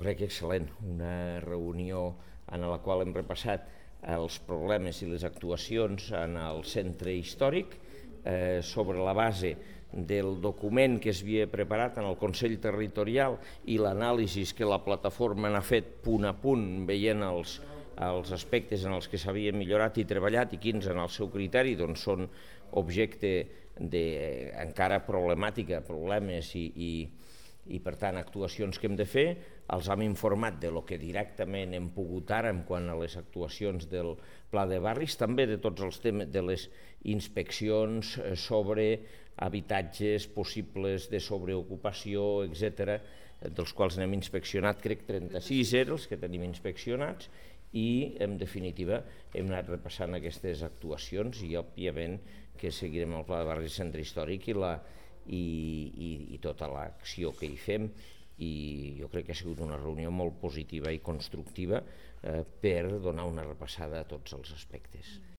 crec que excel·lent, una reunió en la qual hem repassat els problemes i les actuacions en el centre històric sobre la base del document que s'havia preparat en el Consell Territorial i l'anàlisi que la plataforma n'ha fet punt a punt, veient els aspectes en els que s'havia millorat i treballat i quins en el seu criteri són objecte d'encara problemàtica, problemes i per tant actuacions que hem de fer. Els hem informat de lo que directament hem pogut ara en quant a les actuacions del Pla de Barris, també de tots els temes de les inspeccions sobre habitatges possibles de sobreocupació, etc., dels quals n'hem inspeccionat, crec 36 eren els que tenim inspeccionats, i en definitiva hem anat repassant aquestes actuacions i òbviament que seguirem el Pla de Barris Centre Històric i tota l'acció que hi fem, i jo crec que ha sigut una reunió molt positiva i constructiva per donar una repassada a tots els aspectes.